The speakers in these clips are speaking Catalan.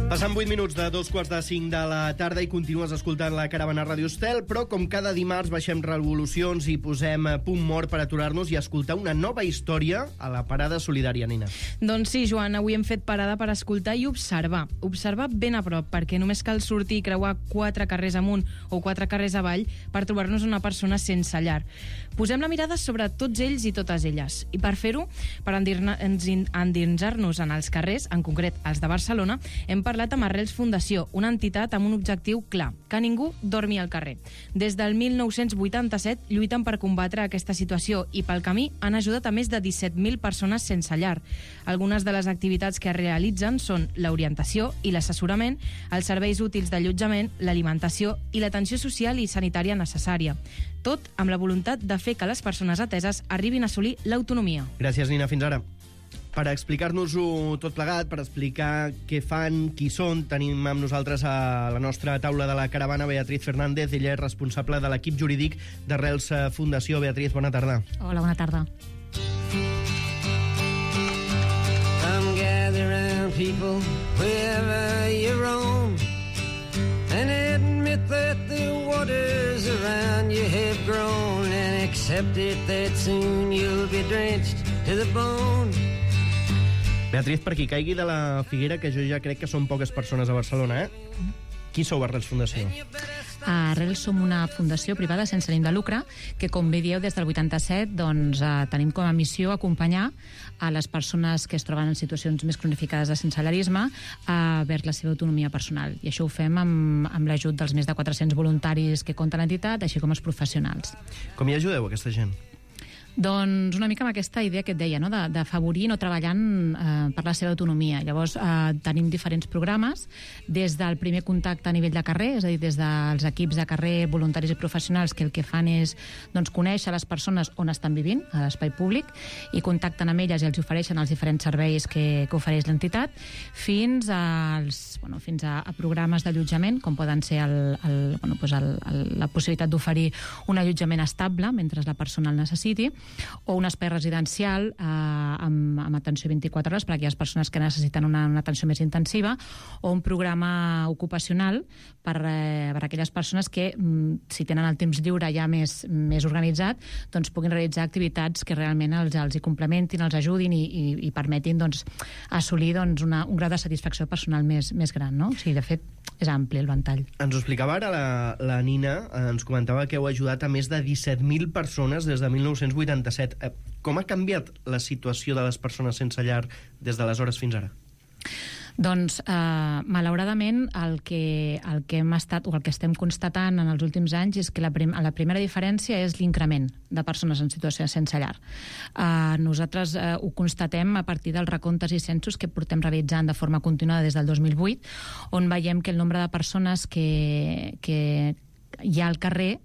Passant 8 minuts de 2:45 de la tarda i continues escoltant la Caravana Ràdio Estel, però com cada dimarts baixem revolucions i posem punt mort per aturar-nos i escoltar una nova història a la parada solidària, Nina. Doncs sí, Joan, avui hem fet parada per escoltar i observar. Observar ben a prop, perquè només cal sortir i creuar 4 carrers amunt o 4 carrers avall per trobar-nos una persona sense llar. Posem la mirada sobre tots ells i totes elles. I per fer-ho, per endinsar-nos en els carrers, en concret els de Barcelona, hem parlat amb Arrels Fundació, una entitat amb un objectiu clar, que ningú dormi al carrer. Des del 1987 lluiten per combatre aquesta situació i pel camí han ajudat a més de 17.000 persones sense llar. Algunes de les activitats que realitzen són l'orientació i l'assessorament, els serveis útils d'allotjament, l'alimentació i l'atenció social i sanitària necessària. Tot amb la voluntat de fer que les persones ateses arribin a assolir l'autonomia. Gràcies, Nina. Fins ara. Per explicar-nos-ho tot plegat, per explicar què fan, qui són, tenim amb nosaltres a la nostra taula de la caravana Beatriz Fernández. Ella és responsable de l'equip jurídic d'Arrels Fundació. Beatriz, bona tarda. Hola, bona tarda. Come gather round people wherever you roam and admit that the waters around you have grown and accept it that soon you'll be drenched to the bone. Beatriz, per qui caigui de la figuera, que jo ja crec que són poques persones a Barcelona, Qui sou Arrels Fundació? Arrels som una fundació privada sense ànim de lucre que, com bé dieu, des del 87 tenim com a missió acompanyar a les persones que es troben en situacions més cronificades de sensellarisme vers la seva autonomia personal. I això ho fem amb l'ajut dels més de 400 voluntaris que compta l'entitat, així com els professionals. Com hi ajudeu aquesta gent? Doncs una mica amb aquesta idea que et deia, no? d'afavorir no treballant per la seva autonomia. Llavors tenim diferents programes, des del primer contacte a nivell de carrer, és a dir, des dels equips de carrer, voluntaris i professionals, que el que fan és conèixer les persones on estan vivint, a l'espai públic, i contacten amb elles i els ofereixen els diferents serveis que ofereix l'entitat, fins a programes d'allotjament, com poden ser la possibilitat d'oferir un allotjament estable mentre la persona el necessiti, o un espai residencial amb atenció 24 hores per a aquelles persones que necessiten una atenció més intensiva, o un programa ocupacional per a aquelles persones que, si tenen el temps lliure ja més organitzat, puguin realitzar activitats que realment els hi complementin, els ajudin i permetin assolir un grau de satisfacció personal més gran, no? O sigui, de fet, és ampli el ventall. Ens ho explicava ara la Nina, ens comentava que heu ajudat a més de 17.000 persones des de 1987. Com ha canviat la situació de les persones sense llar des d'aleshores fins ara? Doncs, malauradament, el que hem estat, o el que estem constatant en els últims anys és que la primera diferència és l'increment de persones en situació sense llar. Nosaltres ho constatem a partir dels recomptes i censos que portem realitzant de forma continuada des del 2008, on veiem que el nombre de persones que hi ha al carrer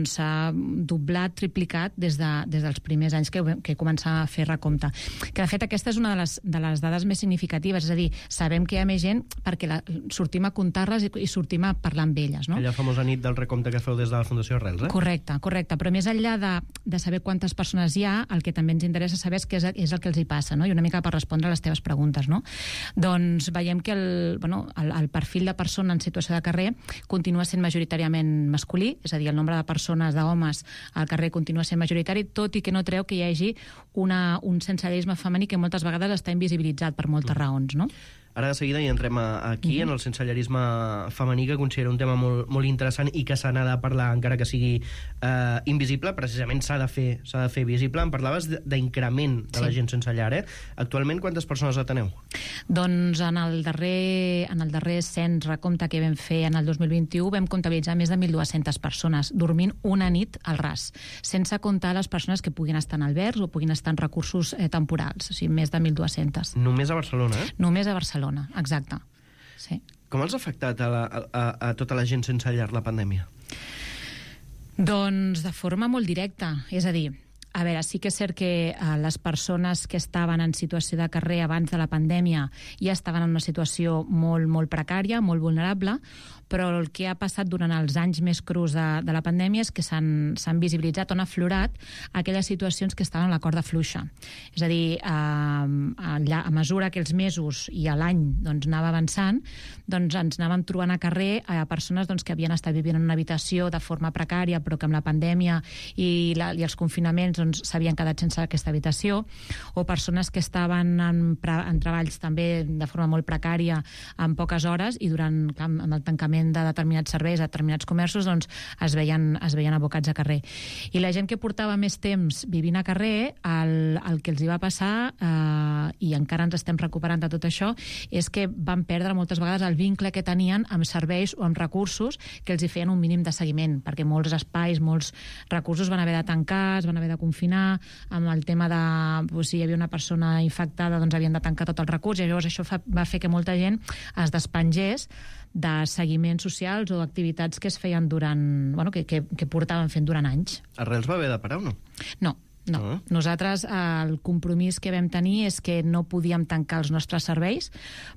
s'ha doblat, triplicat des dels primers anys que comença a fer recompte. Que de fet aquesta és una de les dades més significatives, és a dir, sabem que hi ha més gent perquè sortim a comptar-les i sortim a parlar amb elles, no? Aquella famosa nit del recompte que feu des de la Fundació Arrels, Correcte, però més enllà de saber quantes persones hi ha, el que també ens interessa saber és què és el que els hi passa, no? I una mica per respondre a les teves preguntes, no? Doncs veiem que el perfil de persona en situació de carrer continua sent majoritàriament masculí, és a dir, el nombre de persones, d'homes al carrer continua sent majoritari, tot i que no treu que hi hagi un sensellarisme femení que moltes vegades està invisibilitzat per moltes raons, no? Ara de seguida hi entrem aquí, en el sensellarisme femení, que considero un tema molt, molt interessant i que se n'ha de parlar, encara que sigui invisible. Precisament s'ha de fer visible. Em parlaves d'increment de la gent sense llar, Actualment, quantes persones ateneu? Doncs en el darrer cens recompte que vam fer en el 2021 vam comptabilitzar més de 1.200 persones dormint una nit al ras, sense comptar les persones que puguin estar en albergs o puguin estar en recursos temporals, o sigui, més de 1.200. Només a Barcelona, Només a Barcelona, exacte. Sí. Com els ha afectat a tota la gent sense llar la pandèmia? Doncs de forma molt directa, és a dir, A veure, sí que és cert que les persones que estaven en situació de carrer abans de la pandèmia ja estaven en una situació molt, molt precària, molt vulnerable, però el que ha passat durant els anys més crus de la pandèmia és que s'han visibilitzat o han aflorat aquelles situacions que estaven a la corda fluixa. És a dir, a mesura que els mesos i a l'any doncs, anava avançant, doncs ens anàvem trobant a carrer a persones doncs, que havien estat vivint en una habitació de forma precària, però que amb la pandèmia i els confinaments doncs, s'havien quedat sense aquesta habitació, o persones que estaven en treballs també de forma molt precària, en poques hores, i amb el tancament de determinats serveis, a determinats comerços, doncs es veien abocats a carrer. I la gent que portava més temps vivint a carrer, el que els hi va passar, i encara ens estem recuperant de tot això, és que van perdre moltes vegades el vincle que tenien amb serveis o amb recursos que els hi feien un mínim de seguiment, perquè molts espais, molts recursos van haver de tancar, es van haver de confinar, amb el tema de si hi havia una persona infectada, doncs havien de tancar tot el recurs, i llavors això va fer que molta gent es despengés de seguiments socials o activitats que es feien durant... que portaven fent durant anys. Arrels va haver de parar o no? No. Nosaltres el compromís que vam tenir és que no podíem tancar els nostres serveis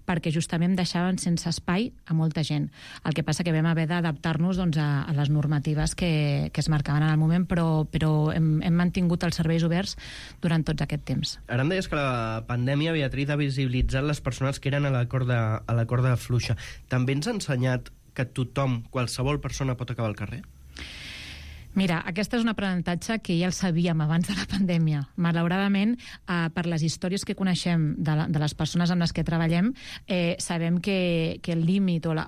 perquè justament deixaven sense espai a molta gent. El que passa que vam haver d'adaptar-nos doncs, a les normatives que es marcaven en el moment, però hem mantingut els serveis oberts durant tots aquest temps. Ara em deies que la pandèmia, Beatriz, ha visibilitzat les persones que eren a la corda fluixa. També ens ha ensenyat que tothom, qualsevol persona, pot acabar al carrer? Mira, aquest és un aprenentatge que ja el sabíem abans de la pandèmia. Malauradament, per les històries que coneixem de les persones amb les que treballem, sabem que el límit o la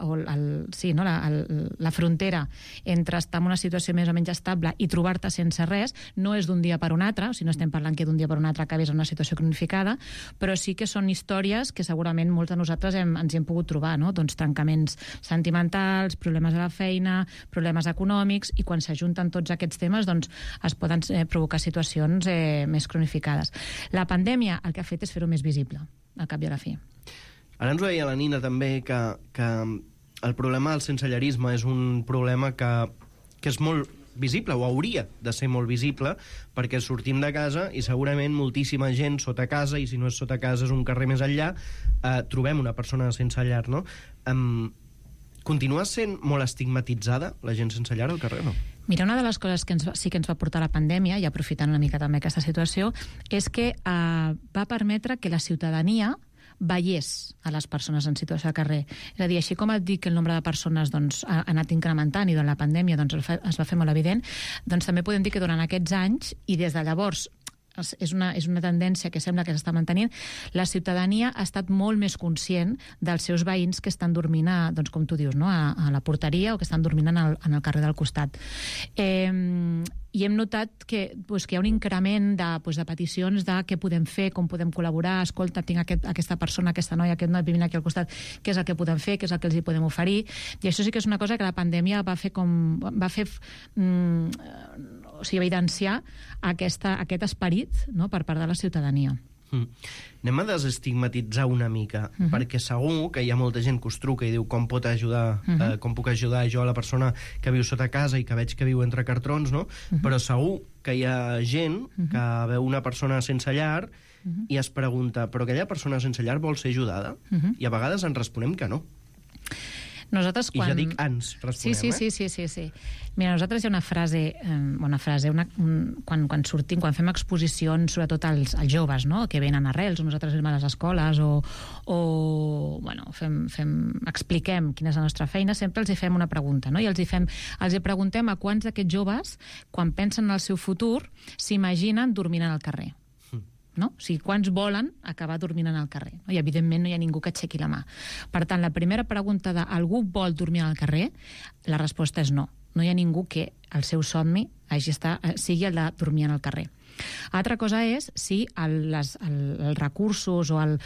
frontera entre estar en una situació més o menys estable i trobar-te sense res no és d'un dia per un altre, o sigui, no estem parlant que d'un dia per un altre acabis en una situació cronificada, però sí que són històries que segurament molts de nosaltres ens hi hem pogut trobar, no? Doncs trencaments sentimentals, problemes a la feina, problemes econòmics, i quan s'ajunten tots aquests temes doncs, es poden provocar situacions més cronificades. La pandèmia el que ha fet és fer-ho més visible, al cap i a la fi. Ara ens ho deia la Nina també, que el problema del sensellarisme és un problema que és molt visible, o hauria de ser molt visible, perquè sortim de casa i segurament moltíssima gent sota casa, i si no és sota casa és un carrer més enllà, trobem una persona sense llar, no? Continua sent molt estigmatitzada la gent sense llar al carrer, no? Mira, una de les coses que sí que ens va portar la pandèmia, i aprofitant una mica també aquesta situació, és que va permetre que la ciutadania veiés a les persones en situació de carrer. És a dir, així com et dic que el nombre de persones doncs, ha anat incrementant i durant la pandèmia doncs, es va fer molt evident, doncs també podem dir que durant aquests anys, i des de llavors és una tendència que sembla que s'està mantenint, la ciutadania ha estat molt més conscient dels seus veïns que estan dormint, doncs, com tu dius, no? a la porteria, o que estan dormint en el carrer del costat. I hem notat que hi ha un increment de peticions de què podem fer, com podem col·laborar, escolta, tinc aquesta persona, aquesta noia, aquest noi vivint aquí al costat, què és el que podem fer, què és el que els hi podem oferir, i això sí que és una cosa que la pandèmia va evidenciar aquest esperit, no?, per part de la ciutadania. Anem a desestigmatitzar una mica, perquè segur que hi ha molta gent que us truca i diu com puc ajudar jo a la persona que viu sota casa i que veig que viu entre cartrons, no? Però segur que hi ha gent que veu una persona sense llar i es pregunta, però aquella persona sense llar vol ser ajudada? I a vegades ens responem que no. Nosaltres, I ja dic ens, responem, Sí. Mira, nosaltres hi ha una frase, quan sortim, quan fem exposicions, sobretot als joves, no?, que venen arrels, o nosaltres anem a les escoles, expliquem quina és la nostra feina, sempre els hi fem una pregunta, no?, i els hi preguntem a quants d'aquests joves, quan pensen en el seu futur, s'imaginen dormint al carrer. No? O sigui, quants volen acabar dormint en el carrer, no? I evidentment no hi ha ningú que aixequi la mà. Per tant, la primera pregunta de algú vol dormir al carrer, la resposta és no. No hi ha ningú que el seu somni sigui el de dormir en el carrer. Altra cosa és si els recursos o el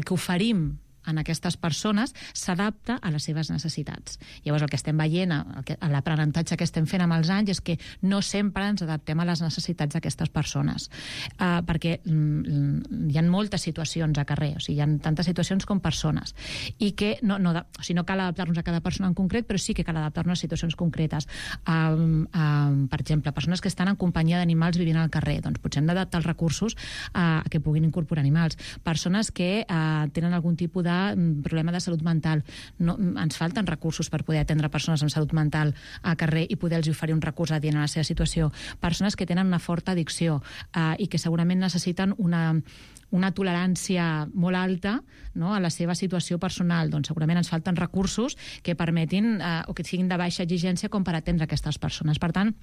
que oferim en aquestes persones s'adapta a les seves necessitats. Llavors, el que estem veient, l'aprenentatge que estem fent amb els anys és que no sempre ens adaptem a les necessitats d'aquestes persones, perquè hi ha moltes situacions a carrer, o sigui, hi ha tantes situacions com persones, i que no cal adaptar-nos a cada persona en concret, però sí que cal adaptar-nos a situacions concretes. Per exemple, persones que estan en companyia d'animals vivint al carrer, doncs potser hem d'adaptar els recursos a que puguin incorporar animals. Persones que tenen algun tipus de problema de salut mental. Ens falten recursos per poder atendre persones amb salut mental a carrer i poder-los oferir un recurs adient a la seva situació. Persones que tenen una forta addicció i que segurament necessiten una tolerància molt alta, no, a la seva situació personal. Doncs segurament ens falten recursos que permetin o que siguin de baixa exigència com per atendre aquestes persones. Per tant,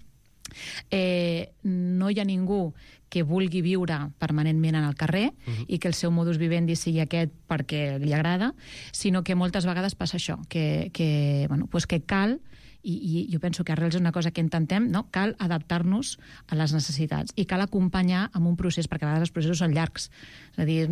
no hi ha ningú que vulgui viure permanentment en el carrer i que el seu modus vivendi sigui aquest perquè li agrada, sinó que moltes vegades passa això, que cal, i jo penso que Arrels és una cosa que intentem, no? Cal adaptar-nos a les necessitats i cal acompanyar amb un procés, perquè a vegades els processos són llargs. És a dir,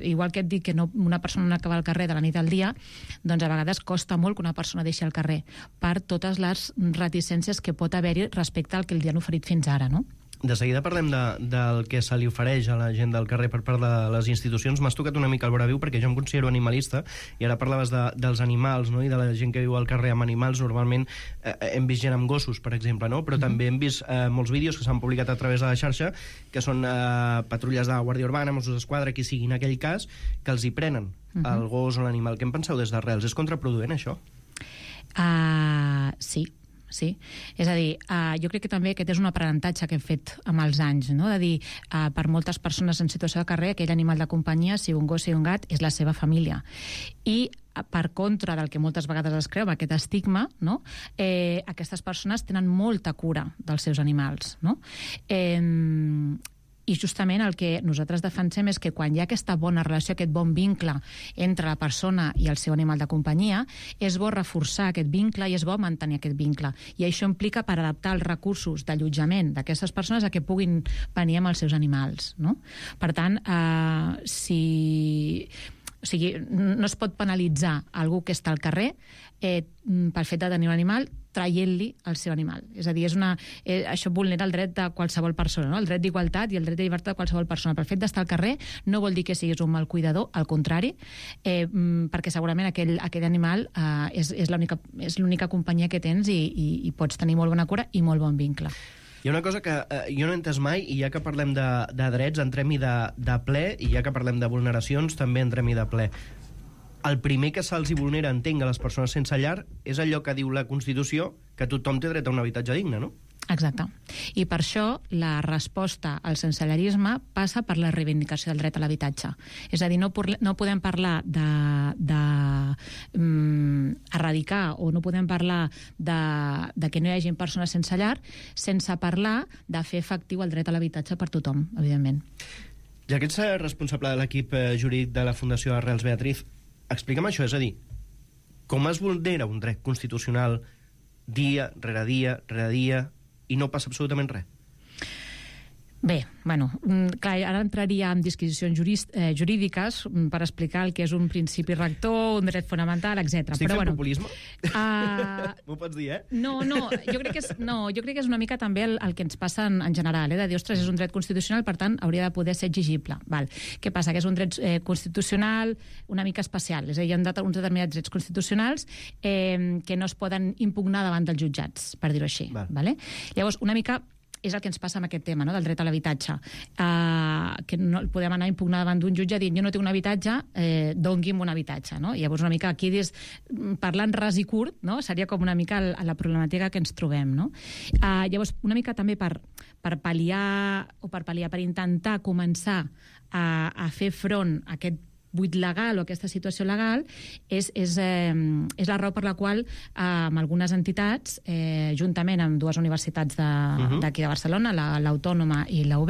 igual que et dic que una persona no acaba al carrer de la nit al dia, doncs a vegades costa molt que una persona deixi el carrer per totes les reticències que pot haver-hi respecte al que li han oferit fins ara, no? De seguida parlem del que se li ofereix a la gent del carrer per part de les institucions. M'has tocat una mica el voraviu perquè jo em considero animalista i ara parlaves dels animals, no? I de la gent que viu al carrer amb animals. Normalment hem vist gent amb gossos, per exemple, no? Però també hem vist molts vídeos que s'han publicat a través de la xarxa que són patrulles de Guàrdia Urbana, Mossos d'Esquadra, qui sigui en aquell cas, que els hi prenen el gos o l'animal. Què en penseu des d'Arrels? És contraproduent, això? Sí. És a dir, jo crec que també aquest és un aprenentatge que hem fet amb els anys, no? De dir, per moltes persones en situació de carrer, aquell animal de companyia, si un gos, si un gat, és la seva família. I per contra del que moltes vegades es creu, aquest estigma, no? Aquestes persones tenen molta cura dels seus animals, no? I justament el que nosaltres defensem és que quan hi ha aquesta bona relació, aquest bon vincle entre la persona i el seu animal de companyia, és bo reforçar aquest vincle i és bo mantenir aquest vincle. I això implica per adaptar els recursos d'allotjament d'aquestes persones a que puguin venir amb els seus animals, no? Per tant, no es pot penalitzar algú que està al carrer pel fet de tenir un animal traient-li el seu animal. És a dir, això vulnera el dret de qualsevol persona, no? El dret d'igualtat i el dret de llibertat de qualsevol persona. Pel fet d'estar al carrer no vol dir que siguis un mal cuidador, al contrari, perquè segurament aquell animal és l'única companyia que tens i pots tenir molt bona cura i molt bon vincle. Hi ha una cosa que jo no he entès mai, i ja que parlem de drets, entrem-hi de ple, i ja que parlem de vulneracions, també entrem-hi de ple. El primer que se'ls vulnera, entenc, a les persones sense llar, és allò que diu la Constitució, que tothom té dret a un habitatge digne, no? Exacte. I per això la resposta al sensellarisme passa per la reivindicació del dret a l'habitatge. És a dir, no podem parlar erradicar o no podem parlar de que no hi hagi persones sense llar sense parlar de fer efectiu el dret a l'habitatge per tothom, evidentment. Ja que ets responsable de l'equip jurídic de la Fundació Arrels, Beatriz, explica'm això, és a dir, com es vulnera un dret constitucional dia rere dia rere dia i no passa absolutament res? Bé, clar, ara entraria en disquisicions jurídiques per explicar el que és un principi rector, un dret fonamental, etc. Estic fent populisme? M'ho pots dir, eh? No, jo crec que és una mica també el que ens passa en general, de dir, ostres, és un dret constitucional, per tant, hauria de poder ser exigible. Què passa? Que és un dret constitucional una mica especial, és a dir, hi ha uns determinats drets constitucionals que no es poden impugnar davant dels jutjats, per dir-ho així. Llavors, una mica és el que ens passa amb aquest tema, no?, del dret a l'habitatge, que no podem anar a impugnar davant d'un jutge dient jo no tinc un habitatge, doni'm un habitatge, no? I llavors una mica aquí, parlant ras i curt, no?, seria com una mica la problemàtica que ens trobem, no? Llavors, una mica també per intentar començar a fer front a aquest buit legal o aquesta situació legal és la raó per la qual amb algunes entitats, juntament amb dues universitats d'aquí de Barcelona, l'Autònoma i la UB,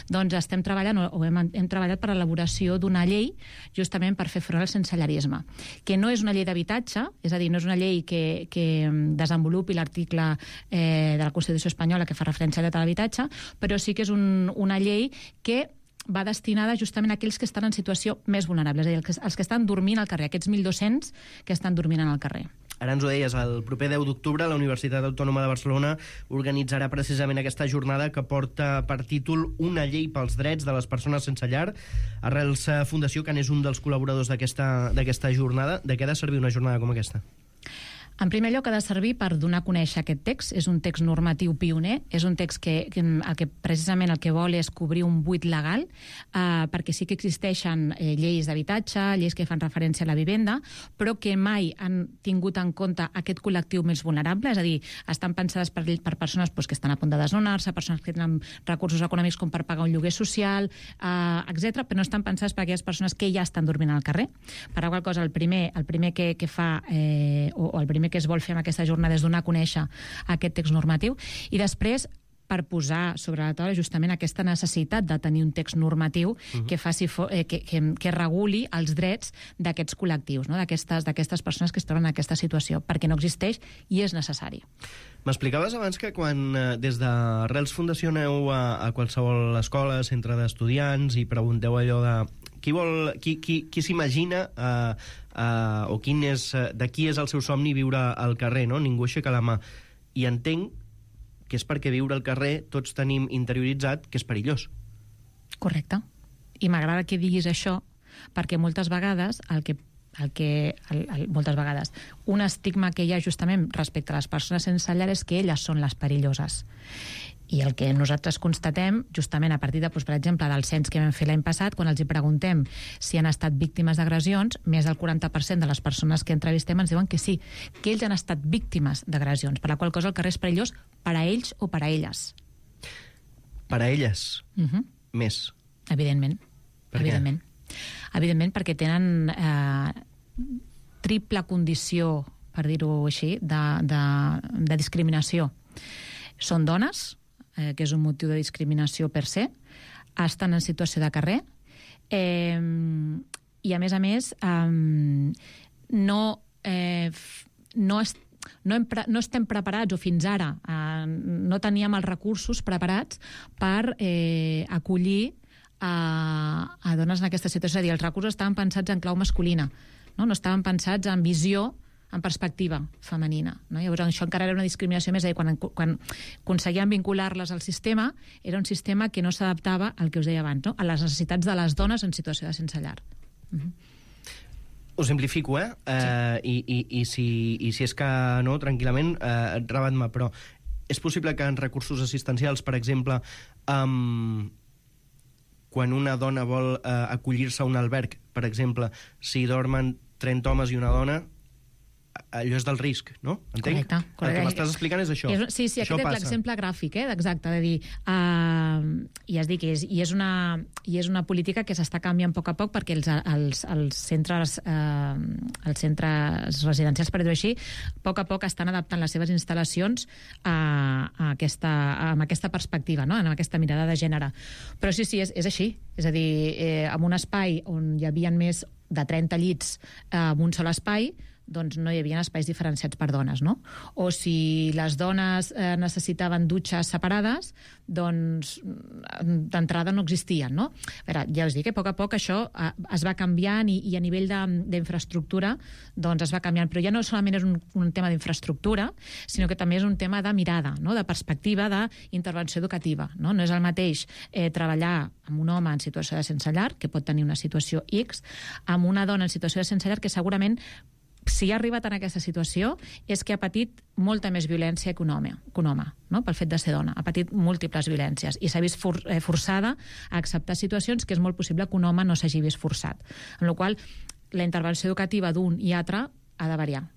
doncs estem treballant o hem treballat per l'elaboració d'una llei justament per fer front al sensellarisme, que no és una llei d'habitatge, és a dir, no és una llei que desenvolupi l'article de la Constitució espanyola que fa referència al dret a l'habitatge, però sí que és una llei que va destinada justament a aquells que estan en situació més vulnerable, és a dir, els que estan dormint al carrer, aquests 1.200 que estan dormint al carrer. Ara ens ho deies, el proper 10 d'octubre la Universitat Autònoma de Barcelona organitzarà precisament aquesta jornada que porta per títol Una llei pels drets de les persones sense llar. Arrels Fundació, que n'és un dels col·laboradors d'aquesta jornada. De què ha de servir una jornada com aquesta? En primer lloc, ha de servir per donar a conèixer aquest text. És un text normatiu pioner, és un text que precisament el que vol és cobrir un buit legal, perquè sí que existeixen lleis d'habitatge, lleis que fan referència a la vivenda, però que mai han tingut en compte aquest col·lectiu més vulnerable, és a dir, estan pensades per persones que estan a punt de desnonar-se, persones que tenen recursos econòmics com per pagar un lloguer social, etc., però no estan pensades per aquelles persones que ja estan dormint al carrer. Per la qual cosa, el primer que fa, o el primer que es vol fer amb aquesta jornada és donar a conèixer aquest text normatiu, i després per posar sobre la taula justament aquesta necessitat de tenir un text normatiu que reguli els drets d'aquests col·lectius, no? d'aquestes persones que es troben en aquesta situació, perquè no existeix i és necessari. M'explicaves abans que quan des d'Arrels Fundació aneu a qualsevol escola, centre d'estudiants, i pregunteu allò de qui s'imagina o de qui és el seu somni viure al carrer, no? Ningú aixeca la mà. I entenc que és perquè viure al carrer tots tenim interioritzat que és perillós. Correcte. I m'agrada que diguis això, perquè moltes vegades un estigma que hi ha justament respecte a les persones sense llar és que elles són les perilloses. I el que nosaltres constatem, justament a partir de, per exemple, del cens que vam fer l'any passat, quan els hi preguntem si han estat víctimes d'agressions, més del 40% de les persones que entrevistem ens diuen que sí, que ells han estat víctimes d'agressions, per la qual cosa el carrer és perillós per a ells o per a elles. Per a elles? Més? Evidentment. Evidentment. Evidentment, perquè tenen triple condició, per dir-ho així, de discriminació. Són dones, que és un motiu de discriminació per se, estan en situació de carrer, i a més, no estem preparats, o fins ara no teníem els recursos preparats per acollir a dones en aquesta situació. És a dir, els recursos estaven pensats en clau masculina, no estaven pensats en visió, en perspectiva femenina, no? Llavors, això encara era una discriminació més. Quan aconseguíem vincular-les al sistema, era un sistema que no s'adaptava al que us deia abans, no? A les necessitats de les dones en situació de sense llar. Ho simplifico, I si és que no, tranquil·lament, rebat-me, però és possible que en recursos assistencials, per exemple, quan una dona vol acollir-se a un alberg, per exemple, si dormen 30 homes i una dona, allò és del risc, no? Entenc? Correcte. El que m'estàs explicant és això. Sí, aquest és l'exemple gràfic, exacte, de dir, i es dic, i és una política que s'està canviant a poc, perquè els centres residencials, per dir-ho així, a poc estan adaptant les seves instal·lacions amb aquesta perspectiva, no? Amb aquesta mirada de gènere. Però sí, és així. És a dir, en un espai on hi havia més de 30 llits en un sol espai, doncs no hi havia espais diferenciats per dones, no? O si les dones necessitaven dutxes separades, doncs d'entrada no existien, no? A veure, ja us dic que a poc això es va canviant i a nivell d'infraestructura doncs es va canviant, però ja no solament és un tema d'infraestructura, sinó que també és un tema de mirada, no? De perspectiva, d'intervenció educativa, no? No és el mateix treballar amb un home en situació de sense llar, que pot tenir una situació X, amb una dona en situació de sense llar que segurament, si ha arribat en aquesta situació, és que ha patit molta més violència que un home, no? Pel fet de ser dona. Ha patit múltiples violències i s'ha vist forçada a acceptar situacions que és molt possible que un home no s'hagi vist forçat. Amb la qual cosa, la intervenció educativa d'un i altre ha de variar.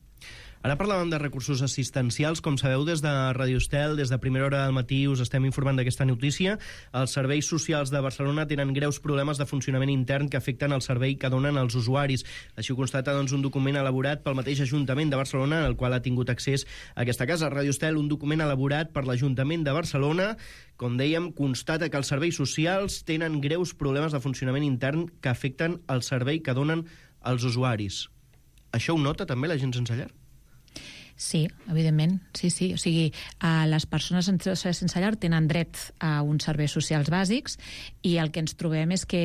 Ara parlàvem de recursos assistencials. Com sabeu, des de Radio Estel, des de primera hora del matí, us estem informant d'aquesta notícia. Els serveis socials de Barcelona tenen greus problemes de funcionament intern que afecten el servei que donen als usuaris. Així ho constata un document elaborat pel mateix Ajuntament de Barcelona, en el qual ha tingut accés a aquesta casa, Radio Estel. Un document elaborat per l'Ajuntament de Barcelona, com dèiem, constata que els serveis socials tenen greus problemes de funcionament intern que afecten el servei que donen als usuaris. Això ho nota també la gent sense llar? Sí, evidentment, sí. O sigui, les persones sense llar tenen dret a uns serveis socials bàsics i el que ens trobem és que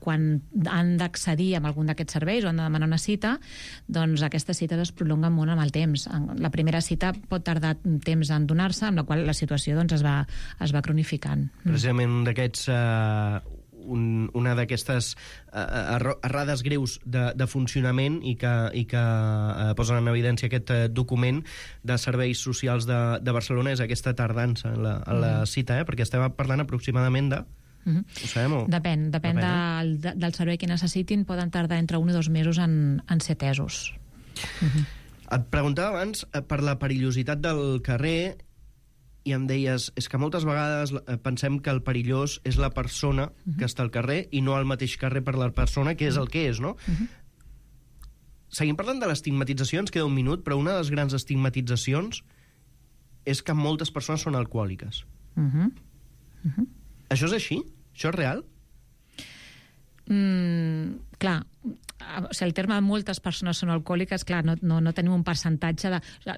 quan han d'accedir a algun d'aquests serveis o han de demanar una cita, doncs aquestes cites es prolonguen molt amb el temps. La primera cita pot tardar temps en donar-se, amb la qual la situació doncs, es va cronificant. Precisament un d'aquests... una d'aquestes errades greus de funcionament i que posen en evidència aquest document de serveis socials de Barcelona és aquesta tardança en la cita, perquè estem parlant aproximadament de... Ho sabem? Depèn del servei que necessitin, poden tardar entre 1 i 2 mesos en ser atesos. Et preguntava abans per la perillositat del carrer i em deies, és que moltes vegades pensem que el perillós és la persona que està al carrer i no el mateix carrer per la persona, que és el que és, no? Seguim parlant de l'estigmatització, ens queda un minut, però una de les grans estigmatitzacions és que moltes persones són alcohòliques. Això és així? Això és real? Clar, o sigui, el terme de moltes persones són alcohòliques, clar, no tenim un percentatge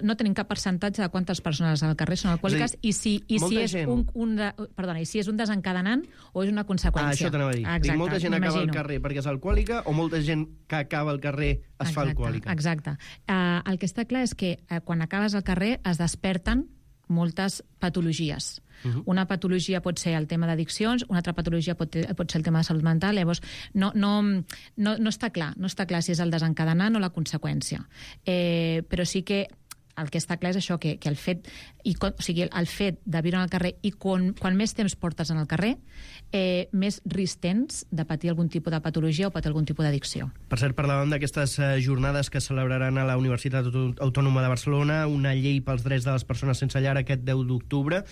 no tenim cap percentatge de quantes persones al carrer són alcohòliques i si és un desencadenant o és una conseqüència. Això t'anava a dir. Exacte, molta gent acaba al carrer perquè és alcohòlica o molta gent que acaba al carrer es fa alcohòlica. Exacte. El que està clar és que quan acabes al carrer es desperten moltes patologies. Una patologia pot ser el tema d'addiccions, una altra patologia pot ser el tema de salut mental, llavors no està clar si és el desencadenant o la conseqüència. Però sí que el que està clar és això, que el fet de viure al carrer i quan més temps portes en el carrer, més risc tens de patir algun tipus de patologia o patir algun tipus d'addicció. Per cert, parlàvem d'aquestes jornades que celebraran a la Universitat Autònoma de Barcelona, una llei pels drets de les persones sense llar aquest 10 d'octubre.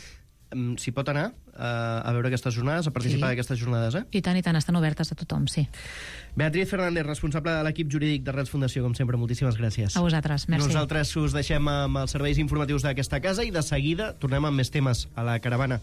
S'hi pot anar a veure aquestes jornades, a participar d'aquestes jornades, I tant, estan obertes a tothom, sí. Beatriz Fernández, responsable de l'equip jurídic de Reds Fundació, com sempre, moltíssimes gràcies. A vosaltres, merci. Nosaltres us deixem amb els serveis informatius d'aquesta casa i de seguida tornem amb més temes a la caravana.